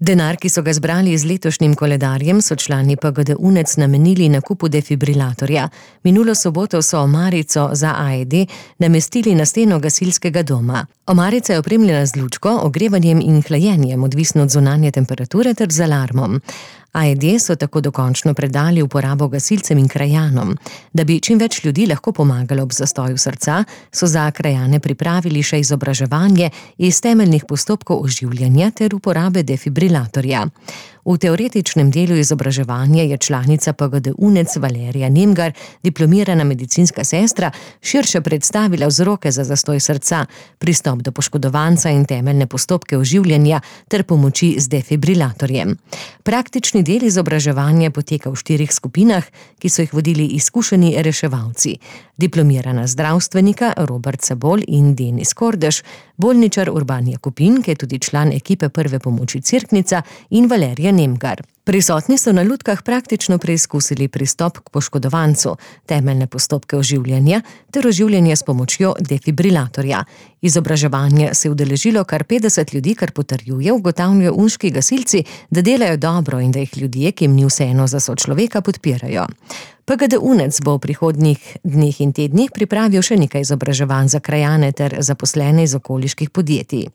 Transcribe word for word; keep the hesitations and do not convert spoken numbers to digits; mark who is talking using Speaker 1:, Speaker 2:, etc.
Speaker 1: Denar, ki so ga zbrali z letošnjim koledarjem, so člani P G D UNEC namenili nakupu defibrilatorja. Minulo soboto so omarico za A E D namestili na steno gasilskega doma. Omarica je opremljena z lučko, ogrevanjem in hlajenjem, odvisno od zunanje temperature ter z alarmom. A E D so tako dokončno predali uporabo gasilcem in krajanom. Da bi čim več ljudi lahko pomagalo ob zastoju srca, so za krajane pripravili še izobraževanje iz temeljnih postopkov oživljanja ter uporabe defibrilatorja. V teoretičnem delu izobraževanja je članica P G D UNEC Valerija Nemgar, diplomirana medicinska sestra, širše predstavila vzroke za zastoj srca, pristop do poškodovanca in temeljne postopke oživljanja ter pomoči z defibrilatorjem. Praktični del izobraževanja poteka v štirih skupinah, ki so jih vodili izkušeni reševalci. Diplomirana zdravstvenika Robert Sabol in Denis Kordež, bolničar Urban Jakopin, ki je tudi član ekipe prve pomoči Cerknica, in Valerija Nemgar. Prisotni so na lutkah praktično preizkusili pristop k poškodovancu, temeljne postopke oživljanja ter oživljanje s pomočjo defibrilatorja. Izobraževanje se je udeležilo kar petdeset ljudi, kar potrjuje, ugotavljajo unški gasilci, da delajo dobro in da jih ljudje, ki jim ni vseeno za sočloveka, podpirajo. P G D UNEC bo v prihodnjih dneh in tednih pripravil še nekaj izobraževanj za krajane ter zaposlene iz okoliških podjetij.